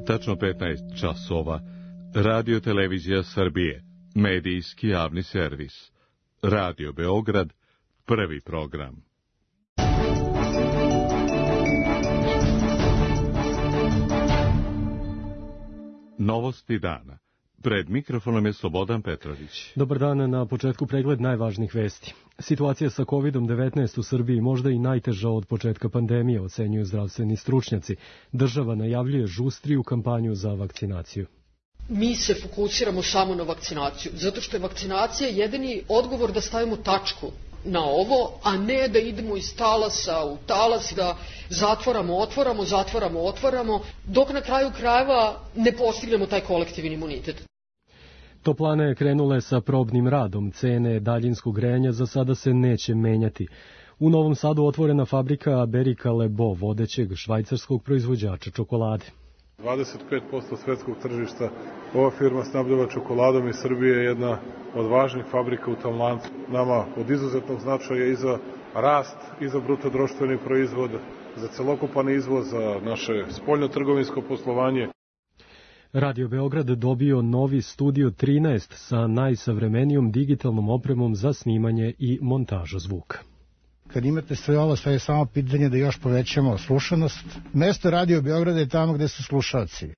Tačno 15 časova. Radio Televizija Srbije. Medijski javni servis. Radio Beograd. Prvi program. Novosti dana. Pred mikrofonom je Slobodan Petrović. Dobar dan, na početku pregled najvažnijih vesti. Situacija sa COVID-19 u Srbiji možda i najteža od početka pandemije, ocenjuju zdravstveni stručnjaci. Država najavljuje žustriju kampanju za vakcinaciju. Mi se fokusiramo samo na vakcinaciju, zato što je vakcinacija jedini odgovor da stavimo tačku na ovo, a ne da idemo iz talasa u talas, da otvaramo, dok na kraju krajeva ne postignemo taj kolektivni imunitet. Toplane krenule sa probnim radom, cene daljinskog grejanja za sada se neće menjati. U Novom Sadu otvorena fabrika Berika Lebo, vodećeg švajcarskog proizvođača čokolade. 25% svetskog tržišta ova firma snabdeva čokoladom i Srbija je jedna od važnih fabrika u tom lancu. Nama od izuzetnog značaja i za rast, i za bruto-društveni proizvod, za celokupan izvoz, za naše spoljno-trgovinsko poslovanje. Radio Beograd dobio novi Studio 13 sa najsavremenijom digitalnom opremom za snimanje i montažu zvuka. Kad imate sve ovo, sve je samo pitanje da još povećamo slušanost. Mesto Radio Beograda je tamo gde su slušalci.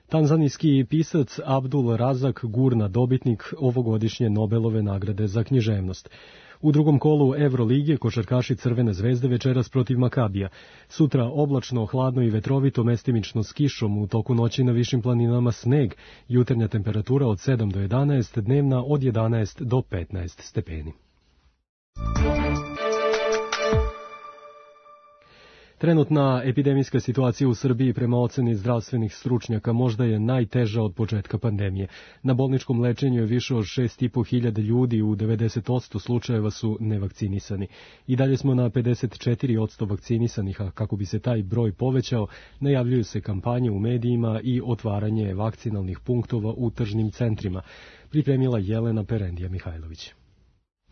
Tanzanijski pisac Abdul Razak Gurna, dobitnik ovogodišnje Nobelove nagrade za književnost. U drugom kolu Evrolige košarkaši Crvene zvezde večeras protiv Makabija. Sutra oblačno, hladno i vetrovito, mestimično s kišom, u toku noći na višim planinama sneg, jutarnja temperatura od 7 do 11, dnevna od 11 do 15 stepeni. Trenutna epidemijska situacija u Srbiji prema oceni zdravstvenih stručnjaka možda je najteža od početka pandemije. Na bolničkom lečenju je više od 6.500 ljudi, u 90% slučajeva su nevakcinisani. I dalje smo na 54% vakcinisanih, a kako bi se taj broj povećao, najavljuju se kampanje u medijima i otvaranje vakcinalnih punktova u tržnim centrima. Pripremila Jelena Perendija Mihajlović.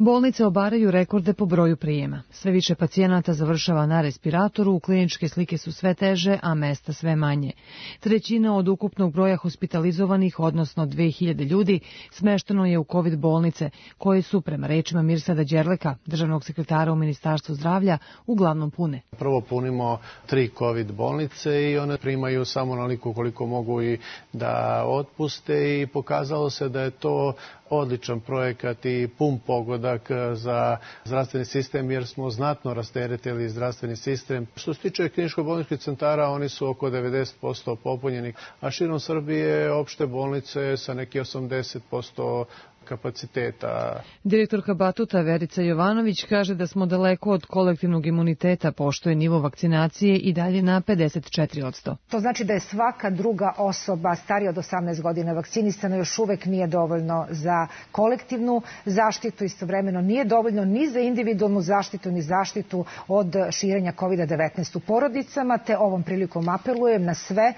Bolnice obaraju rekorde po broju prijema. Sve više pacijenata završava na respiratoru, kliničke slike su sve teže, a mesta sve manje. Trećina od ukupnog broja hospitalizovanih, odnosno 2000 ljudi, smešteno je u COVID bolnice, koje su, prema rečima Mirsada Đerleka, državnog sekretara u Ministarstvu zdravlja, uglavnom pune. Prvo punimo 3 COVID bolnice i one primaju samo onoliko koliko mogu i da otpuste i pokazalo se da je to odličan projekat i pun pogodak za zdravstveni sistem jer smo znatno rasteretili zdravstveni sistem. Što se tiče kliničko-bolničkih centara, oni su oko 90% popunjeni, a širom Srbije opšte bolnice sa neki 80% kapaciteta. Direktorka Batuta Verica Jovanović kaže da smo daleko od kolektivnog imuniteta, pošto je nivo vakcinacije i dalje na 54%. To znači da je svaka druga osoba starija od 18 godina vakcinisana, još uvek nije dovoljno za kolektivnu zaštitu, istovremeno nije dovoljno ni za individualnu zaštitu, ni zaštitu od širenja COVID-19 u porodicama, te ovom prilikom apelujem na sve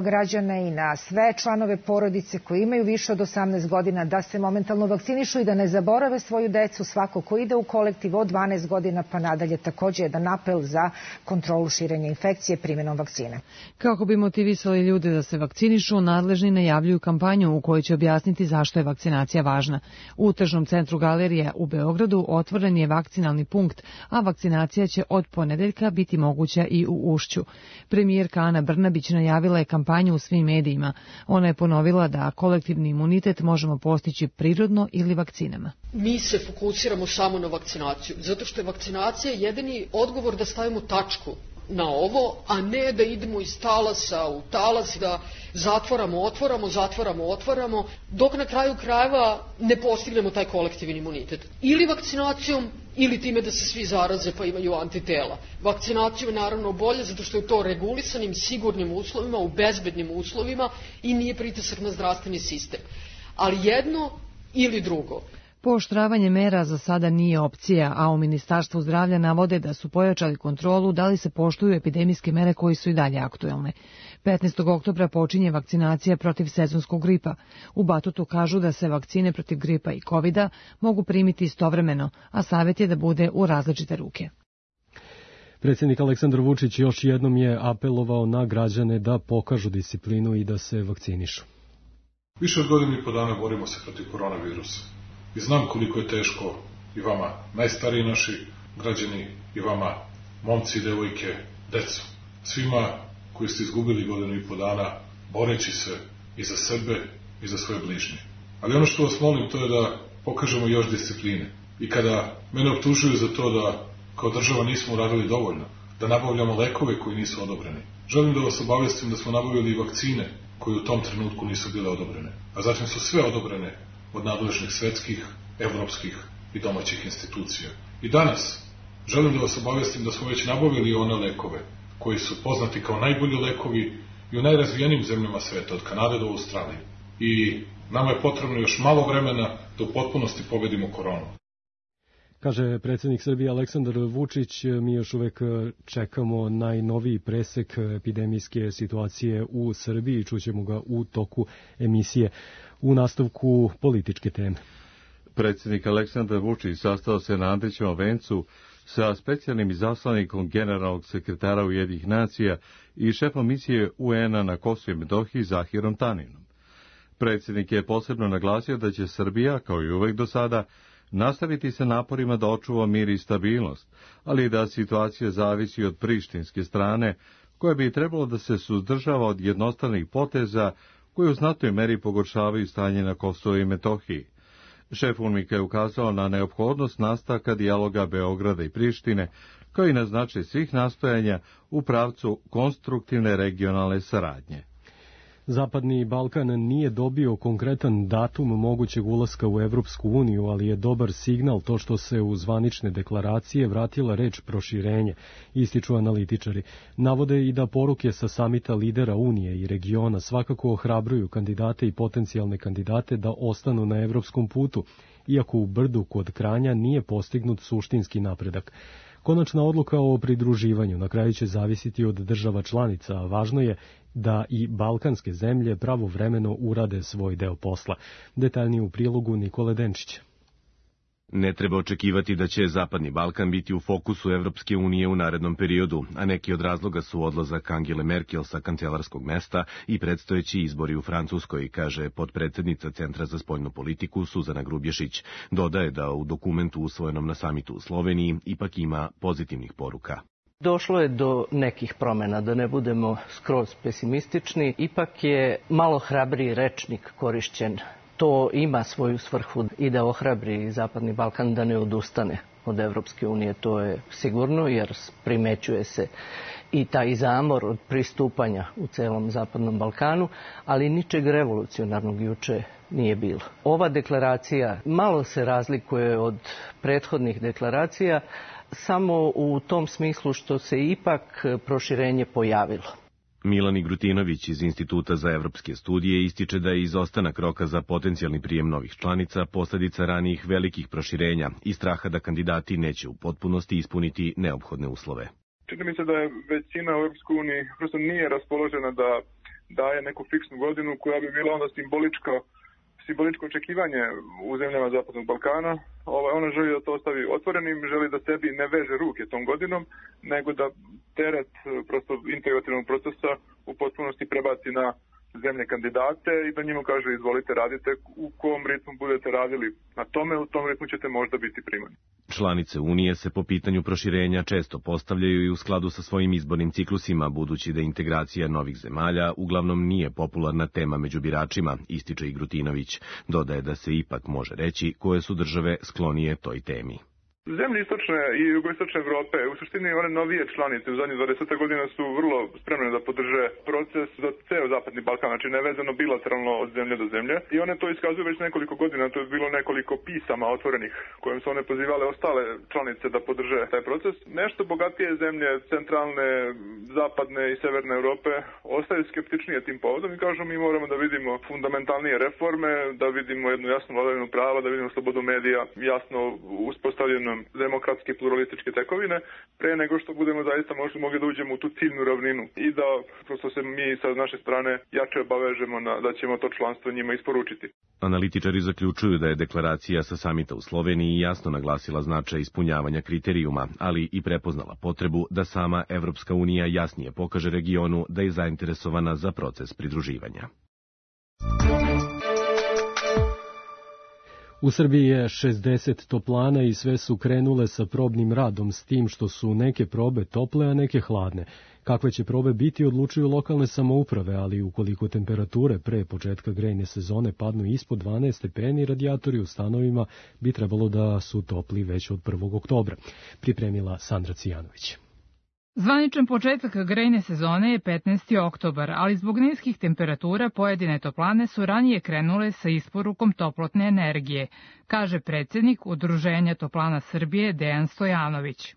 građane i na sve članove porodice koji imaju više od 18 godina da se momentalno vakcinišu i da ne zaborave svoju decu. Svako ko ide u kolektiv od 12 godina pa nadalje također jedan apel za kontrolu širenja infekcije primjenom vakcine. Kako bi motivisali ljude da se vakcinišu, nadležni najavljuju kampanju u kojoj će objasniti zašto je vakcinacija važna. U tržnom centru Galerija u Beogradu otvoren je vakcinalni punkt, a vakcinacija će od ponedeljka biti moguća i u Ušću. Premijerka Ana Brnabić najavila je kampanju u svim medijima. Ona je ponovila da kolektivni imunitet možemo postići prirodno ili vakcinama. Mi se fokusiramo samo na vakcinaciju, zato što je vakcinacija jedini odgovor da stavimo tačku na ovo, a ne da idemo iz talasa u talas, da otvaramo, dok na kraju krajeva ne postignemo taj kolektivni imunitet. Ili vakcinacijom, ili time da se svi zaraze pa imaju antitela. Vakcinacija je naravno bolje zato što je to regulisanim, sigurnim uslovima, u bezbednim uslovima i nije pritisak na zdravstveni sistem. Ali jedno ili drugo. Pooštravanje mera za sada nije opcija, a u Ministarstvu zdravlja navode da su pojačali kontrolu da li se poštuju epidemijske mere koji su i dalje aktuelne. 15. oktobra počinje vakcinacija protiv sezonskog gripa. U Batutu kažu da se vakcine protiv gripa i covida mogu primiti istovremeno, a savjet je da bude u različite ruke. Predsjednik Aleksandar Vučić još jednom je apelovao na građane da pokažu disciplinu i da se vakcinišu. Više od godinu i po dana borimo se protiv koronavirusa. I znam koliko je teško i vama, najstariji naši građani, i vama, momci, devojke, decu. Svima koji ste izgubili godinu i po dana boreći se i za sebe i za svoje bližnje. Ali ono što vas molim, to je da pokažemo još discipline. I kada mene optužuju za to da kao država nismo uradili dovoljno, da nabavljamo lekove koji nisu odobreni, želim da vas obavestim da smo nabavili i vakcine koje u tom trenutku nisu bile odobrene. A zatim su sve odobrene od nadležnih svetskih, evropskih i domaćih institucija. I danas želim da vas obavestim da smo već nabavili one lekove koji su poznati kao najbolji lekovi i u najrazvijenijim zemljama sveta, od Kanade do Australije. I nama je potrebno još malo vremena da u potpunosti pobedimo koronu. Kaže predsjednik Srbije Aleksandar Vučić, mi još uvek čekamo najnoviji presek epidemijske situacije u Srbiji, čućemo ga u toku emisije. U nastavku političke teme. Predsjednik Aleksandar Vučić sastao se na Andrićevom vencu sa specijalnim izaslanikom generalnog sekretara Ujedinjenih nacija i šefom misije UN-a na Kosovu i Metohiji Zahirom Taninom. Predsjednik je posebno naglasio da će Srbija, kao i uvek do sada, nastaviti se naporima da očuva mir i stabilnost, ali da situacija zavisi od prištinske strane, koja bi trebalo da se suzdržava od jednostavnih poteza koji u znatnoj meri pogoršavaju stanje na Kosovu i Metohiji. Šef UNMIK-a je ukazao na neophodnost nastavka dijaloga Beograda i Prištine, kao i na značaj svih nastojanja u pravcu konstruktivne regionalne saradnje. Zapadni Balkan nije dobio konkretan datum mogućeg ulaska u Evropsku uniju, ali je dobar signal to što se u zvanične deklaracije vratila reč proširenje, ističu analitičari. Navode i da poruke sa samita lidera Unije i regiona svakako ohrabruju kandidate i potencijalne kandidate da ostanu na evropskom putu, iako u Brdu kod Kranja nije postignut suštinski napredak. Konačna odluka o pridruživanju na kraju će zavisiti od država članica, a važno je da i balkanske zemlje pravovremeno urade svoj deo posla. Detaljnije u prilogu Nikole Denčića. Ne treba očekivati da će Zapadni Balkan biti u fokusu Evropske unije u narednom periodu, a neki od razloga su odlazak Angele Merkel sa kancelarskog mesta i predstojeći izbori u Francuskoj, kaže potpredsednica Centra za spoljnu politiku Suzana Grubješić. Dodaje da u dokumentu usvojenom na samitu u Sloveniji ipak ima pozitivnih poruka. Došlo je do nekih promjena, da ne budemo skroz pesimistični, ipak je malo hrabriji rečnik korišćen. To ima svoju svrhu i da ohrabri Zapadni Balkan da ne odustane od Evropske unije, to je sigurno, jer primećuje se i taj zamor od pristupanja u celom Zapadnom Balkanu, ali ničeg revolucionarnog juče nije bilo. Ova deklaracija malo se razlikuje od prethodnih deklaracija, samo u tom smislu što se ipak proširenje pojavilo. Milan Igrutinović iz Instituta za evropske studije ističe da je izostanak roka za potencijalni prijem novih članica posledica ranijih velikih proširenja i straha da kandidati neće u potpunosti ispuniti neophodne uslove. Čini mi se da je većina u Europskoj uniji prosto nije raspoložena da daje neku fiksnu godinu koja bi bila onda simboličko očekivanje u zemljama Zapadnog Balkana. Ona želi da to ostavi otvorenim, želi da sebi ne veže ruke tom godinom, nego da teret prosto integrativnog procesa u potpunosti prebaci na zemlje kandidate i da njima kaže izvolite radite u kom ritmu budete radili na tome, u tom ritmu ćete možda biti primani. Članice Unije se po pitanju proširenja često postavljaju i u skladu sa svojim izbornim ciklusima, budući da integracija novih zemalja uglavnom nije popularna tema među biračima, ističe Igrutinović. Dodaje da se ipak može reći koje su države sklonije toj temi. Zemlje istočne i jugoistočne Evrope, u suštini one novije članice u zadnjih 20 godina su vrlo spremne da podrže proces za ceo Zapadni Balkan, znači nevezano bilateralno od zemlje do zemlje. I one to iskazuju već nekoliko godina, to je bilo nekoliko pisama otvorenih kojim su one pozivale ostale članice da podrže taj proces. Nešto bogatije zemlje, centralne, zapadne i severne Evrope, ostaju skeptičnije tim povodom i kažu mi moramo da vidimo fundamentalnije reforme, da vidimo jednu jasnu vladavinu prava, da vidimo slobodu medija, jasno uspostavljenu nam demokratske pluralističke tekovine, pre nego što budemo zaista mogli da uđemo u tu ciljnu ravninu i da prosto se mi sa naše strane jače obavežemo da ćemo to članstvo njima isporučiti. Analitičari zaključuju da je deklaracija sa samita u Sloveniji jasno naglasila značaj ispunjavanja kriterijuma, ali i prepoznala potrebu da sama Evropska unija jasnije pokaže regionu da je zainteresovana za proces pridruživanja. U Srbiji je 60 toplana i sve su krenule sa probnim radom, s tim što su neke probe tople, a neke hladne. Kakve će probe biti odlučuju lokalne samouprave, ali ukoliko temperature pre početka grejne sezone padnu ispod 12 stepeni, radijatori u stanovima bi trebalo da su topli već od 1. oktobra. Pripremila Sandra Cijanović. Zvaničan početak grejne sezone je 15. oktobar, ali zbog niskih temperatura pojedine toplane su ranije krenule sa isporukom toplotne energije, kaže predsjednik Udruženja toplana Srbije Dejan Stojanović.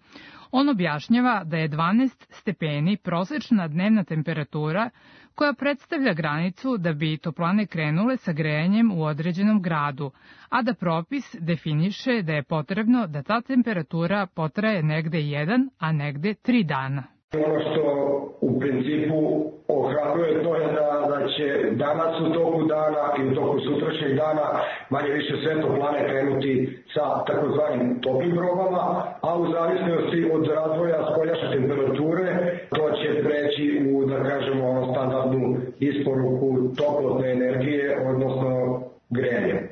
On objašnjava da je 12 stepeni prosečna dnevna temperatura koja predstavlja granicu da bi toplane krenule sa grejanjem u određenom gradu, a da propis definiše da je potrebno da ta temperatura potraje negde 1, a negde 3 dana. Ono što u principu ohrabruje to je da će danas u toku dana i u toku sutrašnjeg dana manje više sve toplane krenuti sa takozvanim toplim probama, a u zavisnosti od razvoja spoljašnje temperature to će preći u, da kažemo, standardnu isporuku toplotne energije, odnosno grejanje.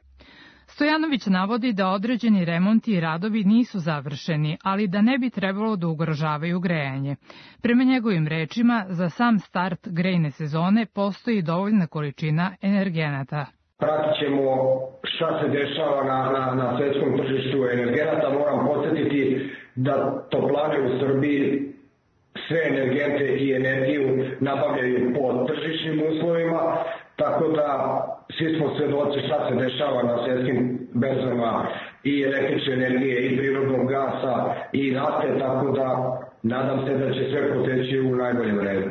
Stojanović navodi da određeni remonti i radovi nisu završeni, ali da ne bi trebalo da ugrožavaju grejanje. Prema njegovim rečima, za sam start grejne sezone postoji dovoljna količina energenata. Pratit ćemo šta se dešava na svetskom tržištu energenata. Moram podsjetiti da toplane u Srbiji sve energente i energiju nabavljaju po tržišnim uslovima, tako da svi smo svedoci šta se dešava na svetskim berzama i električne energije i prirodnog gasa i nafte, tako da nadam se da će sve proteći u najboljem redu.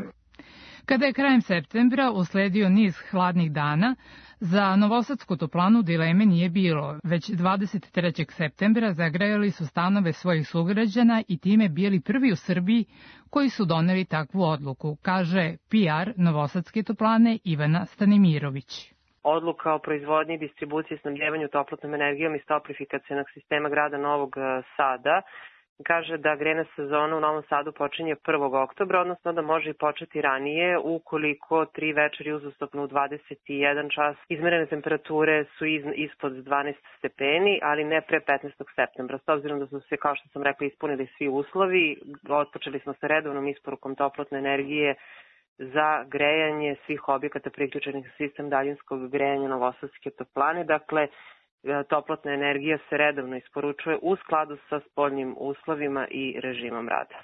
Kada je krajem septembra usledio niz hladnih dana, za novosadsku toplanu dileme nije bilo. Već 23. septembra zagrejali su stanove svojih sugrađana i time bili prvi u Srbiji koji su doneli takvu odluku, kaže PR novosadske toplane Ivana Stanimirović. Odluka o proizvodnji, distribuciji i snabdevanju toplotnom energijom iz toplifikacionog sistema grada Novog Sada kaže da grejna sezona u Novom Sadu počinje 1. oktobra, odnosno da može i početi ranije ukoliko 3 večeri uzastopno u 21 čas izmerene temperature su ispod 12 stepeni, ali ne pre 15. septembra. S obzirom da su se, kao što sam rekla, ispunili svi uslovi, otpočeli smo sa redovnom isporukom toplotne energije za grejanje svih objekata priključenih na sistem daljinskog grejanja novosadske toplane. Dakle, toplotna energija se redovno isporučuje u skladu sa spoljnim uslovima i režimom rada.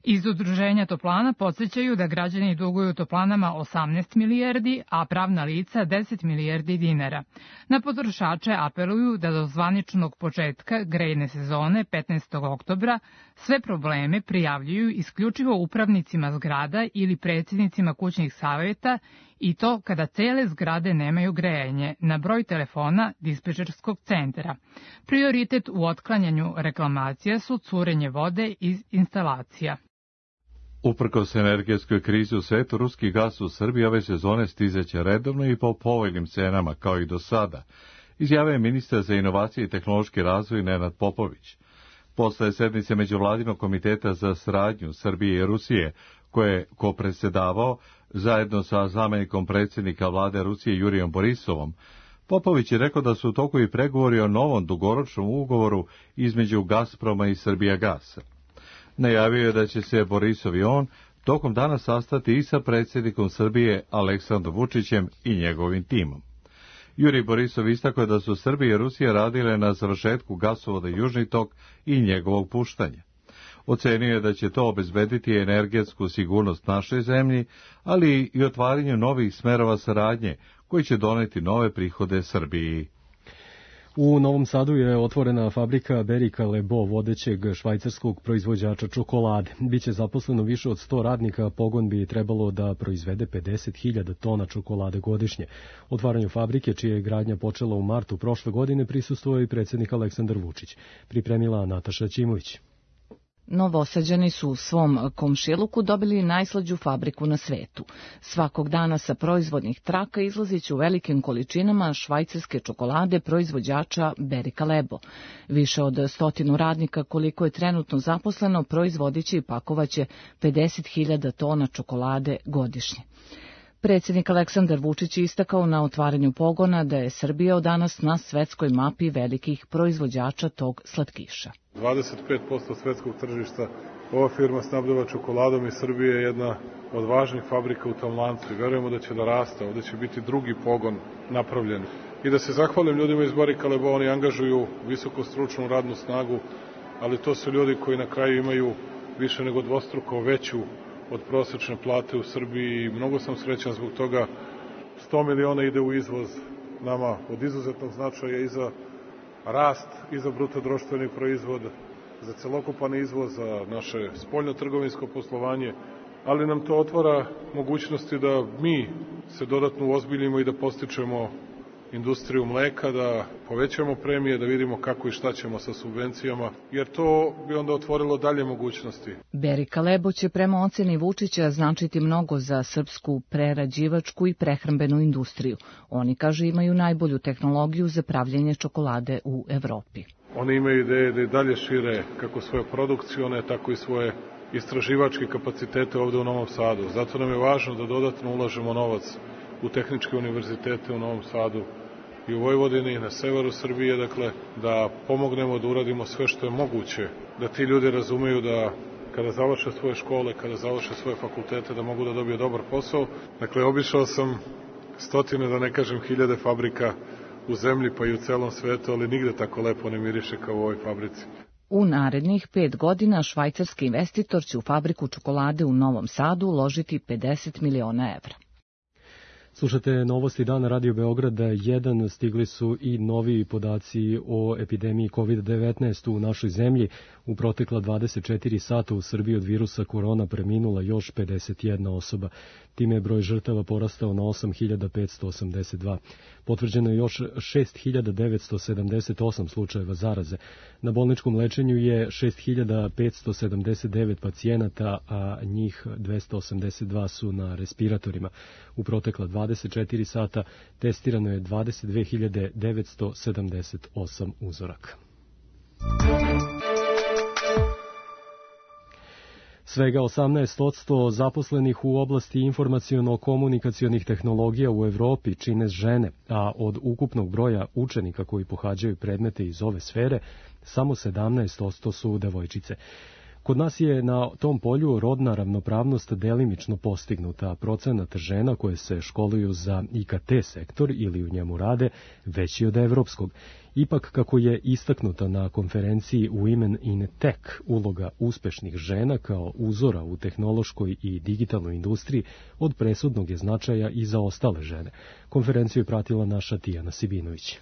Iz Udruženja toplana podsjećaju da građani duguju toplanama 18 milijardi, a pravna lica 10 milijardi dinara. Na potrošače apeluju da do zvaničnog početka grejne sezone 15. oktobra sve probleme prijavljuju isključivo upravnicima zgrada ili predsjednicima kućnih savjeta i to kada cele zgrade nemaju grejanje na broj telefona dispečerskog centra. Prioritet u otklanjanju reklamacija su curenje vode iz instalacija. Uprkos energetskoj krizi u svetu, ruski gas u Srbiji ove sezone stizeće redovno i po povoljnim cenama, kao i do sada, izjavio je ministar za inovacije i tehnološki razvoj Nenad Popović. Posle sednice Međuvladinog komiteta za saradnju Srbije i Rusije, koje je kopresedavao zajedno sa zamenikom predsjednika vlade Rusije Jurijom Borisovom, Popović je rekao da su u toku i pregovori o novom dugoročnom ugovoru između Gazproma i Srbijagasa. Najavio je da će se Borisov i on tokom dana sastati i sa predsjednikom Srbije Aleksandrom Vučićem i njegovim timom. Jurij Borisov istakao je da su Srbija i Rusija radile na završetku gasovoda Južni tok i njegovog puštanja. Ocenio je da će to obezbediti energetsku sigurnost našoj zemlji, ali i otvaranju novih smerova saradnje koji će doneti nove prihode Srbiji. U Novom Sadu je otvorena fabrika Berika Lebo, vodećeg švajcarskog proizvođača čokolade. Biće zaposleno više od 100 radnika, pogon bi trebalo da proizvede 50.000 tona čokolade godišnje. Otvaranju fabrike, čija je gradnja počela u martu prošle godine, prisustvovao i predsjednik Aleksandar Vučić. Pripremila Nataša Ćimović. Novosađani su u svom komšiluku dobili najslađu fabriku na svetu. Svakog dana sa proizvodnih traka izlaziće u velikim količinama švajcarske čokolade proizvođača Berika Lebo. Više od 100 radnika, koliko je trenutno zaposleno, proizvodiće i pakovaće 50.000 tona čokolade godišnje. Predsjednik Aleksandar Vučić je istakao na otvaranju pogona da je Srbija od danas na svetskoj mapi velikih proizvođača tog slatkiša. 25% svetskog tržišta ova firma snabdeva čokoladom i Srbija je jedna od važnih fabrika u tom lancu i verujemo da će da raste, ovde će biti drugi pogon napravljen. I da se zahvalim ljudima iz Berika Lebo, oni angažuju visoko stručnu radnu snagu, ali to su ljudi koji na kraju imaju više nego dvostruko veću od prosečne plate u Srbiji i mnogo sam srećan zbog toga. 100 miliona ide u izvoz, nama od izuzetnog značaja i za rast, i za bruto društveni proizvod, za celokupan izvoz, za naše spoljno-trgovinsko poslovanje, ali nam to otvara mogućnosti da mi se dodatno uozbiljimo i da postičemo industriju mleka, da povećamo premije, da vidimo kako i šta ćemo sa subvencijama, jer to bi onda otvorilo dalje mogućnosti. Berika Lebo će prema oceni Vučića značiti mnogo za srpsku prerađivačku i prehrambenu industriju. Oni, kažu, imaju najbolju tehnologiju za pravljenje čokolade u Evropi. Oni imaju ideje da i dalje šire kako svoje produkcione, tako i svoje istraživačke kapacitete ovde u Novom Sadu. Zato nam je važno da dodatno ulažemo novac u tehničke univerzitete u Novom Sadu i u Vojvodini i na severu Srbije, dakle, da pomognemo da uradimo sve što je moguće, da ti ljudi razumeju da kada završe svoje škole, kada završe svoje fakultete, da mogu da dobiju dobar posao. Dakle, obišao sam stotine, da ne kažem hiljade fabrika u zemlji pa i u celom svetu, ali nigde tako lepo ne miriše kao u ovoj fabrici. U narednih 5 godina švajcarski investitor će u fabriku čokolade u Novom Sadu uložiti 50 miliona evra. Slušate novosti dana Radio Beograda 1, stigli su i novi podaci o epidemiji COVID-19 u našoj zemlji. U protekla 24 sata u Srbiji od virusa korona preminula još 51 osoba. Time je broj žrtava porastao na 8.582. Potvrđeno je još 6.978 slučajeva zaraze. Na bolničkom lečenju je 6.579 pacijenata, a njih 282 su na respiratorima. U protekla 24 sata testirano je 22.978 uzoraka. Svega 18% zaposlenih u oblasti informaciono-komunikacionih tehnologija u Evropi čine žene, a od ukupnog broja učenika koji pohađaju predmete iz ove sfere, samo 17% su devojčice. Kod nas je na tom polju rodna ravnopravnost delimično postignuta, a procenat žena koje se školuju za IKT sektor ili u njemu rade veći od evropskog. Ipak, kako je istaknuta na konferenciji Women in Tech, uloga uspešnih žena kao uzora u tehnološkoj i digitalnoj industriji od presudnog je značaja i za ostale žene. Konferenciju je pratila naša Tijana Sibinović.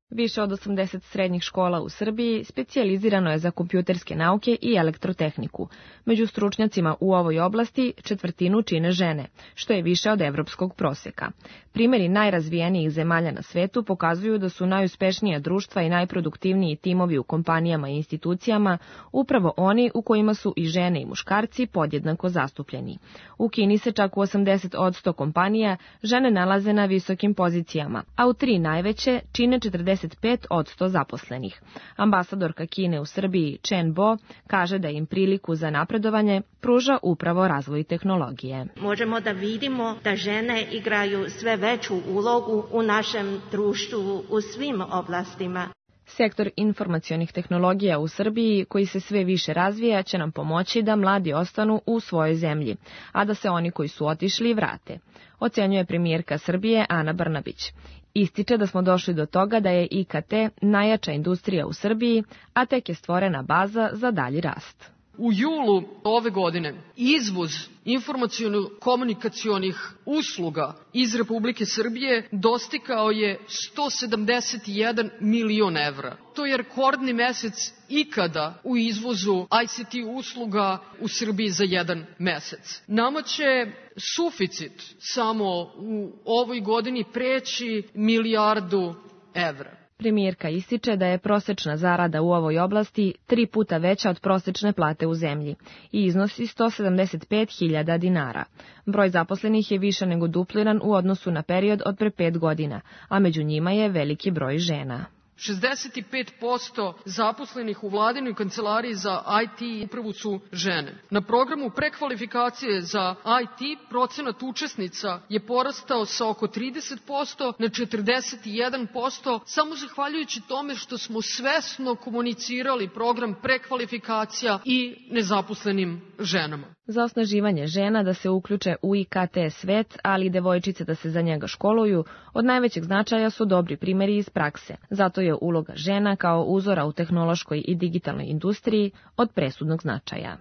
Više od 80 srednjih škola u Srbiji specijalizirano je za kompjuterske nauke i elektrotehniku. Među stručnjacima u ovoj oblasti četvrtinu čine žene, što je više od evropskog proseka. Primeri najrazvijenijih zemalja na svetu pokazuju da su najuspešnija društva i najproduktivniji timovi u kompanijama i institucijama upravo oni u kojima su i žene i muškarci podjednako zastupljeni. U Kini se čak u 80% kompanija žene nalaze na visokim pozicijama, a u 3 najveće čine 45% zaposlenih. Ambasadorka Kine u Srbiji Chen Bo kaže da im priliku za napredovanje pruža upravo razvoj tehnologije. Možemo da vidimo da žene igraju sve veću ulogu u našem društvu u svim oblastima. Sektor informacionih tehnologija u Srbiji, koji se sve više razvija, će nam pomoći da mladi ostanu u svojoj zemlji, a da se oni koji su otišli vrate, ocenjuje premijerka Srbije Ana Brnabić. Ističe da smo došli do toga da je IKT najjača industrija u Srbiji, a tek je stvorena baza za dalji rast. U julu ove godine izvoz informaciono-komunikacionih usluga iz Republike Srbije dostigao je 171 milion evra. To je rekordni mesec ikada u izvozu ICT usluga u Srbiji za jedan mesec. Nama će suficit samo u ovoj godini preći milijardu evra. Premijerka ističe da je prosečna zarada u ovoj oblasti 3 puta veća od prosečne plate u zemlji i iznosi 175.000 dinara. Broj zaposlenih je više nego dupliran u odnosu na period od pre 5 godina, a među njima je veliki broj žena. 65% zaposlenih u vladinoj kancelariji za IT i upravu su žene. Na programu prekvalifikacije za IT procenat učesnica je porastao sa oko 30% na 41%, samo zahvaljujući tome što smo svesno komunicirali program prekvalifikacija i nezaposlenim ženama. Za osnaživanje žena da se uključe u IKT svet, ali i devojčice da se za njega školuju, od najvećeg značaja su dobri primjeri iz prakse. Zato je uloga žena kao uzora u tehnološkoj i digitalnoj industriji od presudnog značaja.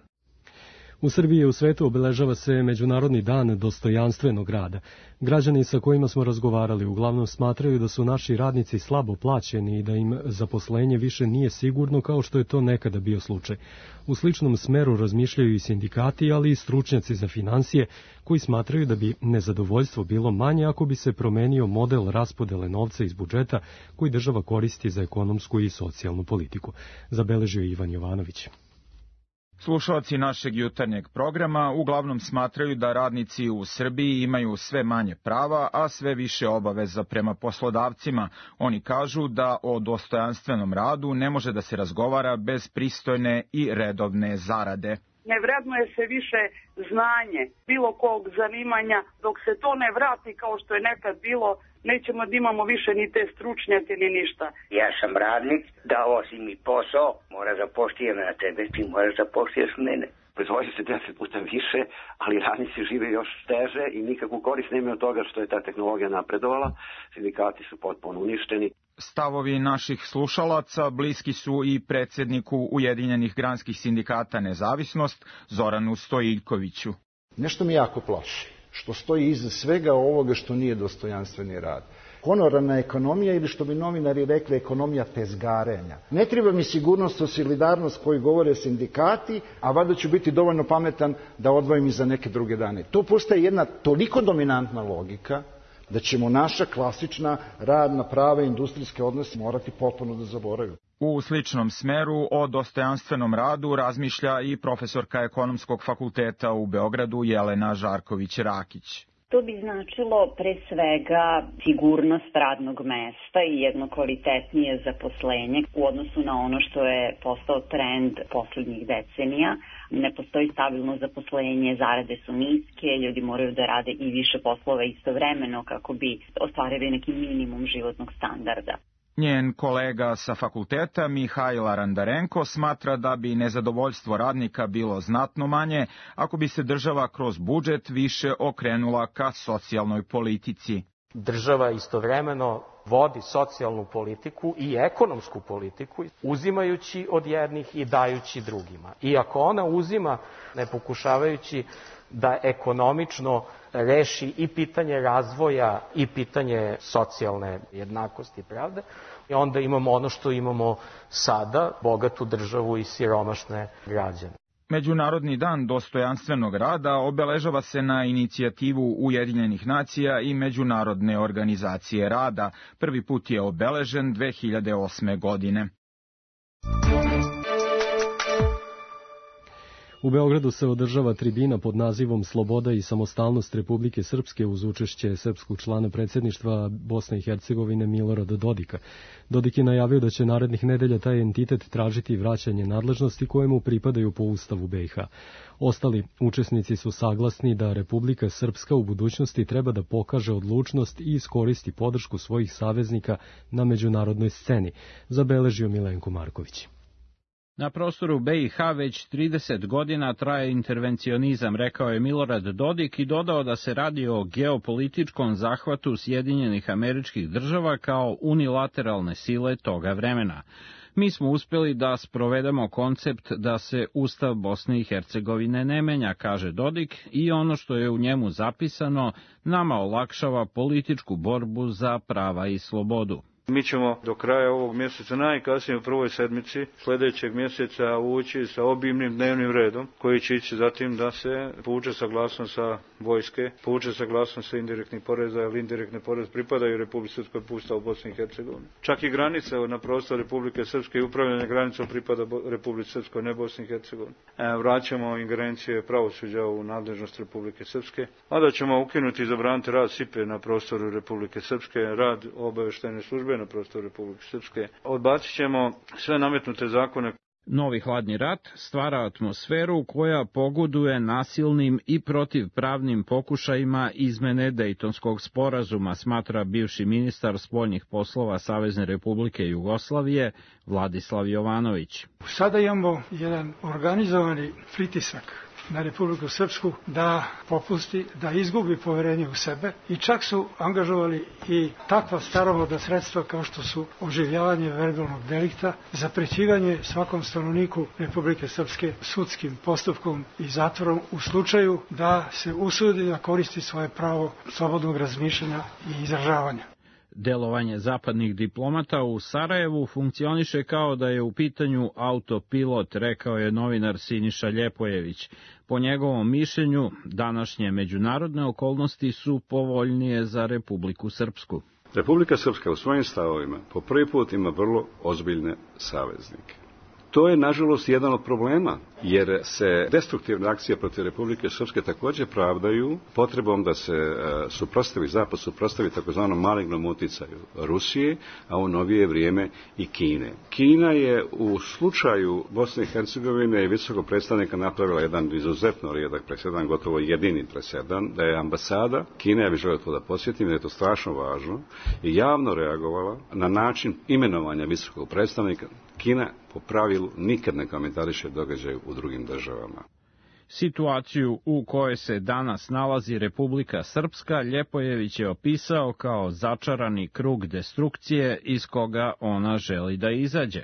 U Srbiji i u svetu obeležava se Međunarodni dan dostojanstvenog rada. Građani sa kojima smo razgovarali uglavnom smatraju da su naši radnici slabo plaćeni i da im zaposlenje više nije sigurno kao što je to nekada bio slučaj. U sličnom smeru razmišljaju i sindikati, ali i stručnjaci za finansije, koji smatraju da bi nezadovoljstvo bilo manje ako bi se promenio model raspodele novca iz budžeta koji država koristi za ekonomsku i socijalnu politiku. Zabeležio Ivan Jovanović. Slušalci našeg jutarnjeg programa uglavnom smatraju da radnici u Srbiji imaju sve manje prava, a sve više obaveza prema poslodavcima. Oni kažu da o dostojanstvenom radu ne može da se razgovara bez pristojne i redovne zarade. Ne vrednuje se više znanje bilo kog zanimanja, dok se to ne vrati kao što je nekad bilo, nećemo da imamo više ni te stručnjake ni ništa. Ja sam radnik, dao si mi posao, mora da poštijem na tebe, ti moraš da poštiješ mene. Proizvodi se 10 puta više, ali radnici žive još teže i nikakvu korist nemaju od toga što je ta tehnologija napredovala. Sindikati su potpuno uništeni. Stavovi naših slušalaca bliski su i predsjedniku Ujedinjenih granskih sindikata Nezavisnost, Zoranu Stojiljkoviću. Nešto mi jako plaši, što stoji iza svega ovoga što nije dostojanstveni rad. Honorarna ekonomija ili što bi novinari rekli ekonomija tezgarenja. Ne treba mi sigurnost o solidarnost koju govore sindikati, a valjda ću biti dovoljno pametan da odvojim i za neke druge dane. To postaje jedna toliko dominantna logika da ćemo naša klasična radna prava i industrijske odnose morati potpuno da zaboravimo. U sličnom smeru o dostojanstvenom radu razmišlja i profesorka Ekonomskog fakulteta u Beogradu Jelena Žarković-Rakić. To bi značilo pre svega sigurnost radnog mesta i jedno kvalitetnije zaposlenje u odnosu na ono što je postao trend poslednjih decenija. Ne postoji stabilno zaposlenje, zarade su niske, ljudi moraju da rade i više poslova istovremeno kako bi ostvarili neki minimum životnog standarda. Njen kolega sa fakulteta Mihajl Arandarenko smatra da bi nezadovoljstvo radnika bilo znatno manje ako bi se država kroz budžet više okrenula ka socijalnoj politici. Država istovremeno vodi socijalnu politiku i ekonomsku politiku, uzimajući od jednih i dajući drugima. I ako ona uzima, ne pokušavajući da ekonomično reši i pitanje razvoja i pitanje socijalne jednakosti i pravde, i onda imamo ono što imamo sada, bogatu državu i siromašne građane. Međunarodni dan dostojanstvenog rada obeležava se na inicijativu Ujedinjenih nacija i Međunarodne organizacije rada. Prvi put je obeležen 2008. godine. U Beogradu se održava tribina pod nazivom Sloboda i samostalnost Republike Srpske uz učešće srpskog člana predsjedništva Bosne i Hercegovine Milorada Dodika. Dodik je najavio da će narednih nedelja taj entitet tražiti vraćanje nadležnosti kojemu pripadaju po Ustavu BiH. Ostali učesnici su saglasni da Republika Srpska u budućnosti treba da pokaže odlučnost i iskoristi podršku svojih saveznika na međunarodnoj sceni, zabeležio Milenko Marković. Na prostoru BiH već 30 godina traje intervencionizam, rekao je Milorad Dodik i dodao da se radi o geopolitičkom zahvatu Sjedinjenih Američkih Država kao unilateralne sile toga vremena. Mi smo uspjeli da sprovedemo koncept da se Ustav Bosne i Hercegovine ne menja, kaže Dodik, i ono što je u njemu zapisano nama olakšava političku borbu za prava i slobodu. Mi ćemo do kraja ovog mjeseca, najkasnije u prvoj sedmici sljedećeg mjeseca, ući sa obimnim dnevnim redom, koji će ići zatim da se povuče saglasnost sa vojske, povuče saglasnost sa indirektnih poreza, jer indirektne poreze pripadaju Republici Srpskoj po Ustavu Bosne i Hercegovine. Čak i granica na prostoru Republike Srpske i upravljanje granicom pripada Republici Srpskoj, ne Bosni i Hercegovini. Vraćamo ingerencije pravosuđa u nadležnost Republike Srpske, a da ćemo ukinuti i zabraniti rad SIPE na prostoru Republike Srpske, rad obavještajne službe na prostoru Republike Srpske. Odbacit ćemo sve nametnute zakone. Novi hladni rat stvara atmosferu koja pogoduje nasilnim i protivpravnim pokušajima izmene Dejtonskog sporazuma, smatra bivši ministar spoljnih poslova Savezne Republike Jugoslavije Vladislav Jovanović. Sada imamo jedan organizovani pritisak na Republiku Srpsku da popusti, da izgubi poverenje u sebe i čak su angažovali i takva staromodna sredstva kao što su oživljavanje verbalnog delikta, zaprećivanje svakom stanovniku Republike Srpske sudskim postupkom i zatvorom u slučaju da se usudi da koristi svoje pravo slobodnog razmišljanja i izražavanja. Delovanje zapadnih diplomata u Sarajevu funkcioniše kao da je u pitanju autopilot, rekao je novinar Siniša Ljepojević. Po njegovom mišljenju, današnje međunarodne okolnosti su povoljnije za Republiku Srpsku. Republika Srpska u svojim stavovima po prvi put ima vrlo ozbiljne saveznike. To je, nažalost, jedan od problema, jer se destruktivne akcije protiv Republike Srpske također pravdaju potrebom da se Zapad suprotstavi takozvanom malignom uticaju Rusije, a u novije vrijeme i Kine. Kina je u slučaju Bosne i Hercegovine i visokog predstavnika napravila jedan izuzetno rijedak presedan, gotovo jedini presedan, da je ambasada Kine, ja bih želio to da podsjetim, da je to strašno važno, i javno reagovala na način imenovanja visokog predstavnika. Kina po pravilu nikad ne komentariše događaj u drugim državama. Situaciju u kojoj se danas nalazi Republika Srpska Ljepojević je opisao kao začarani krug destrukcije iz koga ona želi da izađe.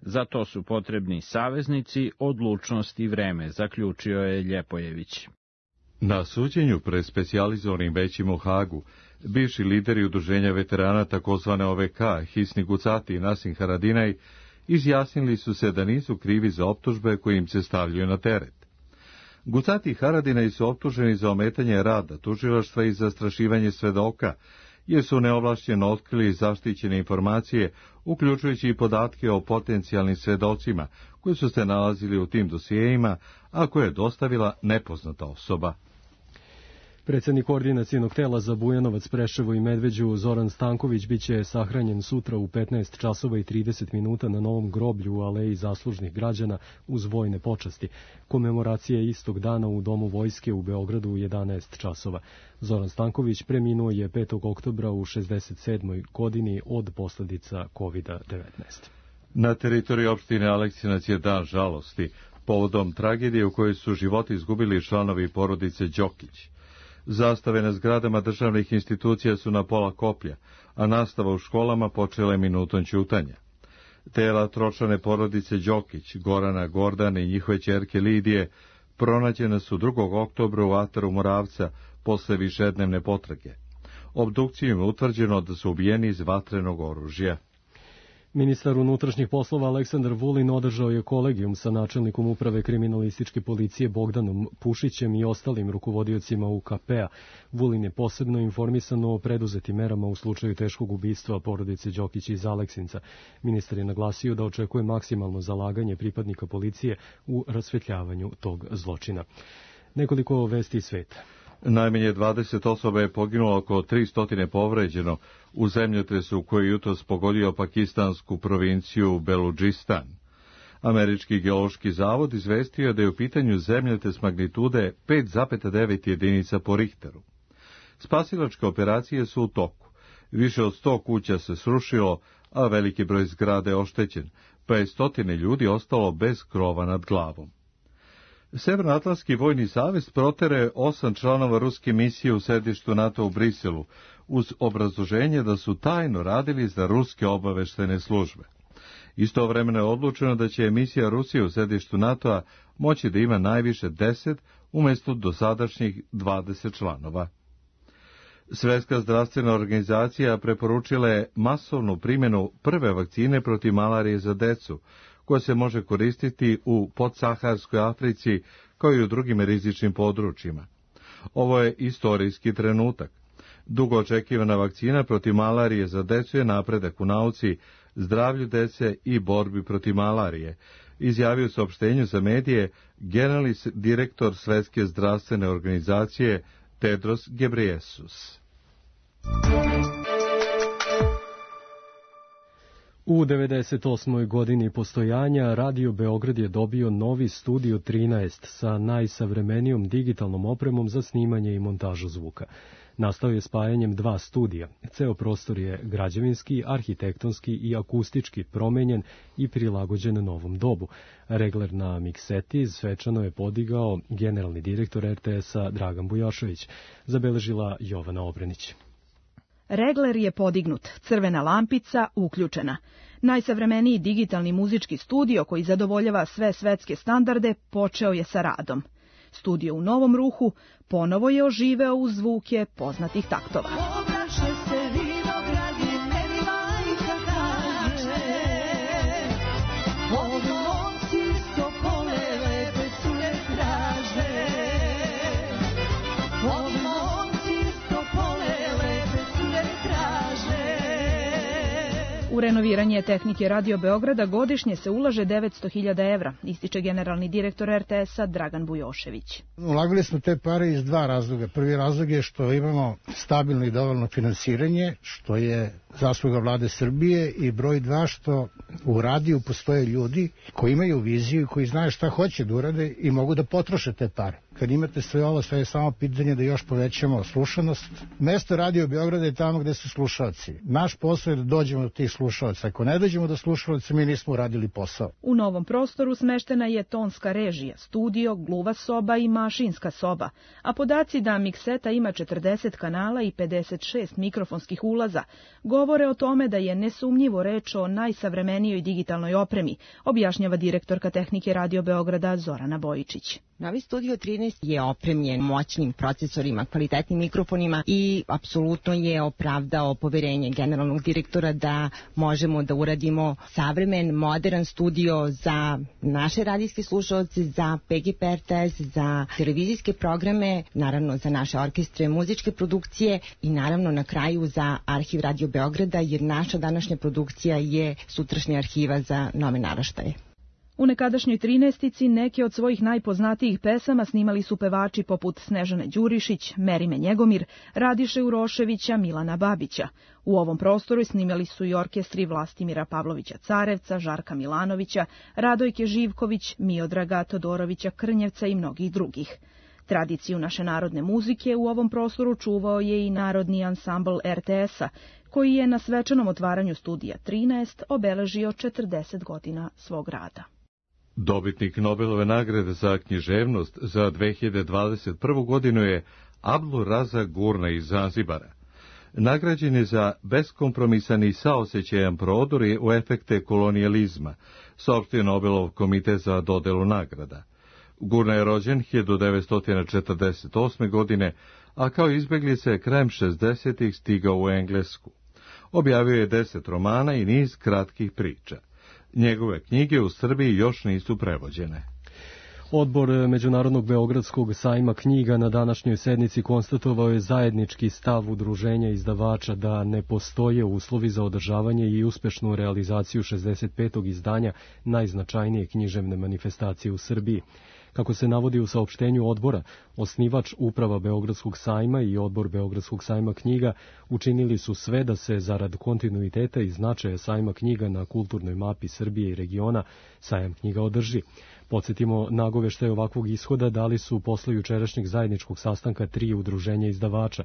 Za to su potrebni saveznici, odlučnost i vreme, zaključio je Ljepojević. Na suđenju pred specijalizovanim većim u Hagu, bivši lideri udruženja veterana takozvane OVK, Hisni Gucati i Nasim Haradinaj, izjasnili su se da nisu krivi za optužbe koje im se stavljaju na teret. Gucati i Haradinaj su optuženi za ometanje rada tužilaštva i zastrašivanje svedoka, jer su neovlašćeno otkrili zaštićene informacije, uključujući i podatke o potencijalnim svedocima koji su se nalazili u tim dosijejima, a koje je dostavila nepoznata osoba. Predsjednik koordinacijnog tela za Bujanovac, Preševo i Medveđu Zoran Stanković biće sahranjen sutra u 15 časova i 30 minuta na novom groblju u Aleji zaslužnih građana uz vojne počasti. Komemoracija je istog dana u Domu vojske u Beogradu u 11 časova. Zoran Stanković preminuo je 5. oktobra u 67. godini od posljedica COVID-19. Na teritoriji opštine Aleksinac je dan žalosti, povodom tragedije u kojoj su život izgubili članovi porodice Đokić. Zastave na zgradama državnih institucija su na pola koplja, a nastava u školama počela je minutom ćutanja. Tela tročlane porodice Đokić, Gorana, Gordane i njihove ćerke Lidije pronađena su 2. oktobra u ataru Moravca posle višednevne potrage. Obdukcijom je utvrđeno da su ubijeni iz vatrenog oružja. Ministar unutrašnjih poslova Aleksandar Vulin održao je kolegijum sa načelnikom uprave kriminalističke policije Bogdanom Pušićem i ostalim rukovodiocima UKP-a. Vulin je posebno informisan o preduzetim merama u slučaju teškog ubistva porodice Đokić iz Aleksinca. Ministar je naglasio da očekuje maksimalno zalaganje pripadnika policije u rasvetljavanju tog zločina. Nekoliko vesti iz sveta. Najmanje 20 osoba je poginulo, oko 300 povređeno u zemljotresu koji jutros pogodio pakistansku provinciju Beludžistan. Američki geološki zavod izvestio da je u pitanju zemljotres magnitude 5,9 jedinica po Richteru. Spasilačke operacije su u toku. Više od 100 kuća se srušilo, a veliki broj zgrada je oštećen, pa je 100 ljudi ostalo bez krova nad glavom. Severnoatlantski vojni savez protere 8 članova ruske misije u sedištu NATO u Briselu, uz obrazloženje da su tajno radili za ruske obaveštajne službe. Istovremeno je odlučeno da će misija Rusije u sedištu NATO-a moći da ima najviše 10 umjesto dosadašnjih 20 članova. Svjetska zdravstvena organizacija preporučila je masovnu primjenu prve vakcine protiv malarije za decu, koja se može koristiti u podsaharskoj Africi kao i u drugim rizičnim područjima. Ovo je istorijski trenutak. Dugo očekivana vakcina protiv malarije za decu je napredak u nauci, zdravlju dece i borbi protiv malarije, izjavio u saopštenju za medije generalni direktor Svjetske zdravstvene organizacije Tedros Ghebreyesus. U 98. godini postojanja Radio Beograd je dobio novi Studio 13 sa najsavremenijom digitalnom opremom za snimanje i montažu zvuka. Nastao je spajanjem dva studija. Ceo prostor je građevinski, arhitektonski i akustički promenjen i prilagođen novom dobu. Regler na mikseti svečano je podigao generalni direktor RTS-a Dragan Bujošević, zabeležila Jovana Obrenić. Regler je podignut, crvena lampica uključena. Najsavremeniji digitalni muzički studio koji zadovoljava sve svetske standarde počeo je sa radom. Studio u novom ruhu ponovo je oživeo uz zvuke poznatih taktova. U renoviranje tehnike Radio Beograda godišnje se ulaže 900.000 evra, ističe generalni direktor RTS-a Dragan Bujošević. Ulagali smo te pare iz dva razloga. Prvi razlog je što imamo stabilno i dovoljno finansiranje, što je zasluga vlade Srbije, i broj dva što u radiju postoje ljudi koji imaju viziju i koji znaju šta hoće da urade i mogu da potroše te pare. Kad imate sve ovo, sve je samo pitanje da još povećamo slušanost. Mesto Radio Beograda je tamo gde su slušalci. Naš posao je da dođemo do tih slušalaca. Ako ne dođemo do slušalaca, mi nismo uradili posao. U novom prostoru smeštena je tonska režija, studio, gluva soba i mašinska soba, a podaci da mikseta ima 40 kanala i 56 mikrofonskih ulaza govore o tome da je nesumnjivo reč o najsavremenijoj digitalnoj opremi, objašnjava direktorka tehnike Radio Beograda Zorana Bojičić. Novi Studio 13 je opremljen moćnim procesorima, kvalitetnim mikrofonima i apsolutno je opravdao poverenje generalnog direktora da možemo da uradimo savremen, modern studio za naše radijske slušalce, za PGP RTS, za televizijske programe, naravno za naše orkestre, muzičke produkcije i naravno na kraju za Arhiv Radio Beograda, jer naša današnja produkcija je sutrašnja arhiva za nove naraštaje. U nekadašnjoj 13-ici neke od svojih najpoznatijih pesama snimali su pevači poput Snežane Đurišić, Merime Njegomir, Radiše Uroševića, Milana Babića. U ovom prostoru snimali su i orkestri Vlastimira Pavlovića Carevca, Žarka Milanovića, Radojke Živković, Miodraga Todorovića Krnjevca i mnogih drugih. Tradiciju naše narodne muzike u ovom prostoru čuvao je i Narodni ansambl RTS-a, koji je na svečanom otvaranju Studija 13 obeležio 40 godina svog rada. Dobitnik Nobelove nagrade za književnost za 2021. godinu je Abdul Razak Gurna iz Zanzibara. Nagrađen je za beskompromisan i saosećajan prodor u efekte kolonijalizma, saopštio Nobelov komitet za dodelu nagrada. Gurna je rođen 1948. godine, a kao izbjeglica je krajem 60-ih stigao u Englesku. Objavio je 10 romana i niz kratkih priča. Njegove knjige u Srbiji još nisu prevođene. Odbor Međunarodnog Beogradskog sajma knjiga na današnjoj sednici konstatovao je zajednički stav udruženja izdavača da ne postoje uslovi za održavanje i uspešnu realizaciju 65. izdanja najznačajnije književne manifestacije u Srbiji. Kako se navodi u saopštenju odbora, osnivač uprava Beogradskog sajma i odbor Beogradskog sajma knjiga učinili su sve da se zarad kontinuiteta i značaja sajma knjiga na kulturnoj mapi Srbije i regiona sajam knjiga održi. Podsjetimo, nagoveštaje ovakvog ishoda dali su posle jučerašnjeg zajedničkog sastanka 3 udruženja izdavača.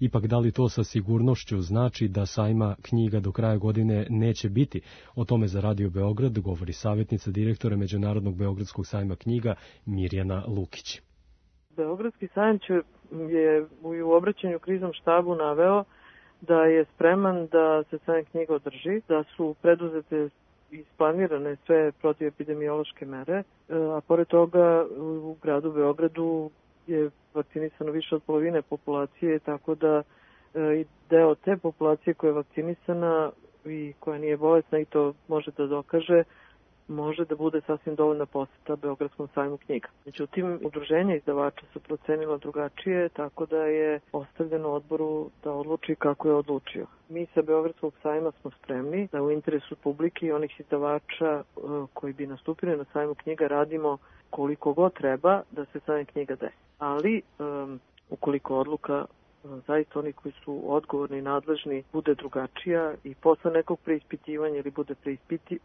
Ipak da li to sa sigurnošću znači da sajma knjiga do kraja godine neće biti? O tome za Radio Beograd govori savjetnica direktora Međunarodnog Beogradskog sajma knjiga Mirjana Lukić. Beogradski sajam je u obraćanju kriznom štabu naveo da je spreman da se sajam knjiga održi, da su preduzete isplanirane sve protivepidemiološke mere, a pored toga u gradu Beogradu je vakcinisano više od polovine populacije, tako da i deo te populacije koja je vakcinisana i koja nije bolesna i to može da dokaže, može da bude sasvim dovoljna poseta Beogradskom sajmu knjiga. Međutim, udruženja izdavača su procenila drugačije, tako da je ostavljeno odboru da odluči kako je odlučio. Mi sa Beogradskog sajma smo spremni da u interesu publike i onih izdavača koji bi nastupili na sajmu knjiga radimo koliko god treba da se sajam knjiga desi. Ali, ukoliko odluka zaista oni koji su odgovorni i nadležni bude drugačija i posle nekog preispitivanja ili bude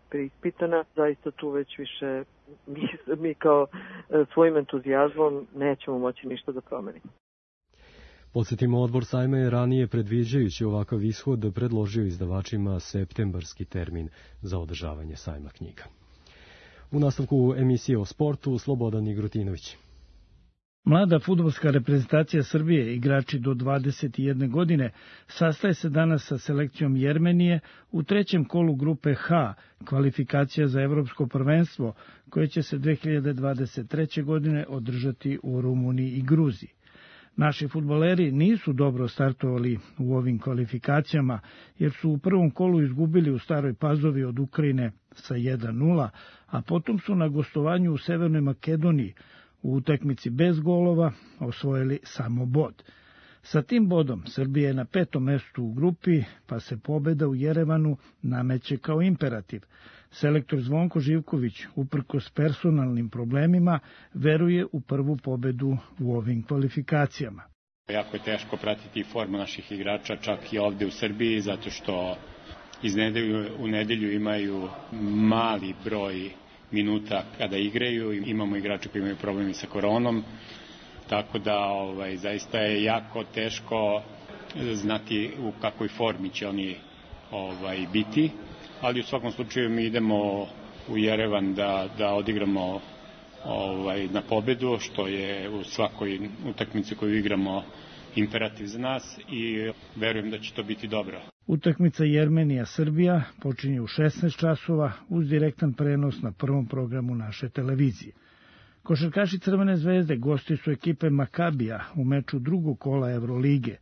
preispitana, zaista tu već više mi kao svojim entuzijazmom nećemo moći ništa da promenimo. Podsjetimo, odbor sajma je ranije, predviđajući ovakav ishod, predložio izdavačima septembarski termin za održavanje sajma knjiga. U nastavku emisije o sportu, Slobodan Igrotinović. Mlada fudbalska reprezentacija Srbije, igrači do 21 godine, sastaje se danas sa selekcijom Jermenije u trećem kolu grupe H, kvalifikacija za evropsko prvenstvo, koje će se 2023. godine održati u Rumuniji i Gruziji. Naši fudbaleri nisu dobro startovali u ovim kvalifikacijama, jer su u prvom kolu izgubili u Staroj Pazovi od Ukrajine sa 1:0, a potom su na gostovanju u Severnoj Makedoniji u utakmici bez golova osvojili samo bod. Sa tim bodom Srbija je na 5. mestu u grupi, pa se pobeda u Jerevanu nameće kao imperativ. Selektor Zvonko Živković, uprkos personalnim problemima, veruje u prvu pobedu u ovim kvalifikacijama. Jako je teško pratiti formu naših igrača, čak i ovde u Srbiji, zato što iz nedelju u nedelju imaju mali broj minuta kada igraju. Imamo igrače koji imaju problemi sa koronom, tako da zaista je jako teško znati u kakvoj formi će oni biti, ali u svakom slučaju mi idemo u Jerevan da odigramo na pobedu, što je u svakoj utakmici koju igramo imperativ za nas i verujem da će to biti dobro. Utakmica Jermenija-Srbija počinje u 16 časova uz direktan prenos na prvom programu naše televizije. Košarkaši Crvene zvezde gosti su ekipe Makabija u meču drugog kola Evrolige.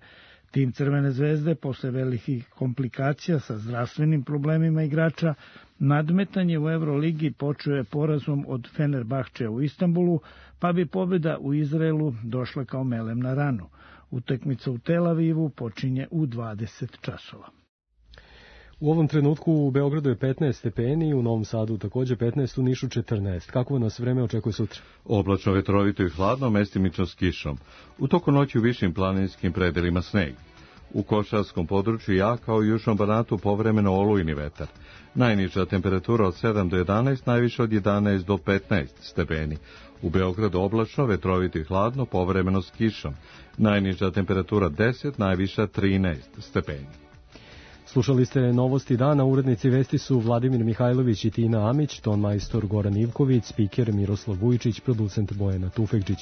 Tim Crvene zvezde, posle velikih komplikacija sa zdravstvenim problemima igrača, nadmetanje u Evroligi počeo je porazom od Fenerbahčeja u Istanbulu, pa bi pobjeda u Izraelu došla kao melem na ranu. Utakmica u Tel Avivu počinje u 20 časova. U ovom trenutku u Beogradu je 15 stepeni, u Novom Sadu takođe 15, u Nišu 14. Kako nas vreme očekuje sutra? Oblačno, vetrovito i hladno, mestimično s kišom. U toku noći u višim planinskim predelima sneg. U Košarskom području jak, kao i južnom Banatu povremeno olujni vetar. Najniža temperatura od 7 do 11, najviše od 11 do 15 stepeni. U Beogradu oblačno, vetrovito i hladno, povremeno s kišom. Najniža temperatura 10, najviša 13 stepeni. Slušali ste novosti dana, urednici vesti su Vladimir Mihajlović i Tina Amić, ton majstor Goran Ivković, spiker Miroslav Vujičić, producent Bojana Tufekđić.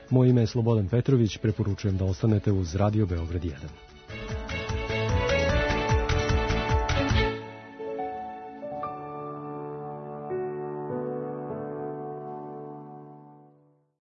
Moje ime je Slobodan Petrović, preporučujem da ostanete uz Radio Beograd 1.